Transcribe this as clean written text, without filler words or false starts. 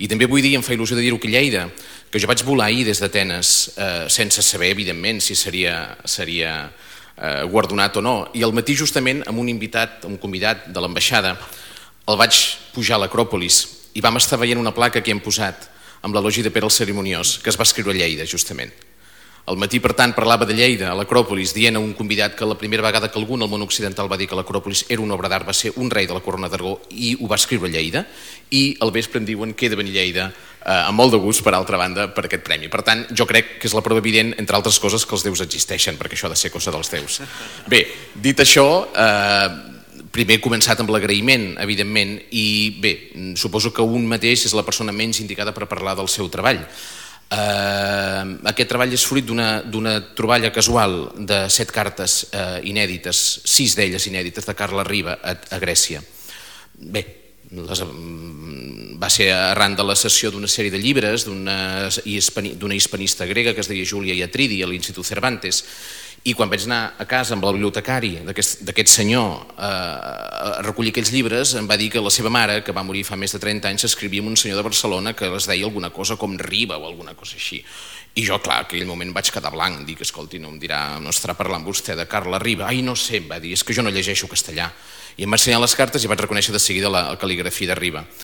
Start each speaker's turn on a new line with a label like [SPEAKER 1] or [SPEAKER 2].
[SPEAKER 1] I també vull dir, em fa il·lusió de dir-ho, que Lleida, que jo vaig volar ahir des d'Atenes sense saber, evidentment, si seria guardonat o no, i al matí justament amb un convidat de l'ambaixada el vaig pujar a l'Acròpolis i vam estar veient una placa que hem posat amb l'elogi de Pere el Cerimoniós, que es va escriure a Lleida, justament. Al matí, per tant, parlava de Lleida, a l'Acròpolis, dient a un convidat que la primera vegada que algú en el món occidental va dir que l'Acròpolis era una obra d'art va ser un rei de la corona d'Aragó i ho va escriure a Lleida, i al vespre em diuen que he de venir a Lleida amb molt de gust, per altra banda, per aquest premi. Per tant, jo crec que és la prova evident, entre altres coses, que els déus existeixen, perquè això ha de ser cosa dels déus. Bé, dit això, primer he començat amb l'agraïment, evidentment, i bé, suposo que un mateix és la persona menys indicada per parlar del seu treball. Aquest treball és fruit d'una troballa casual de 7 cartes inèdites, 6 d'elles inèdites, de Carles Riba a Grècia. Bé, va ser arran de la cessió d'una sèrie de llibres d'una hispanista grega que es deia Júlia Iatridi a l'Institut Cervantes, i quan vaig anar a casa amb el bibliotecari d'aquest senyor a recollir aquells llibres, em va dir que la seva mare, que va morir fa més de 30 anys, s'escrivia amb un senyor de Barcelona que es deia alguna cosa com Riba o alguna cosa així. I jo, clar, en aquell moment vaig quedar blanc, dic, escolti, no estarà parlant vostè de Carles Riba? Ai, no sé, em va dir, és que jo no llegeixo castellà. I em va ensenyar les cartes i vaig reconèixer de seguida la cal·ligrafia de Riba.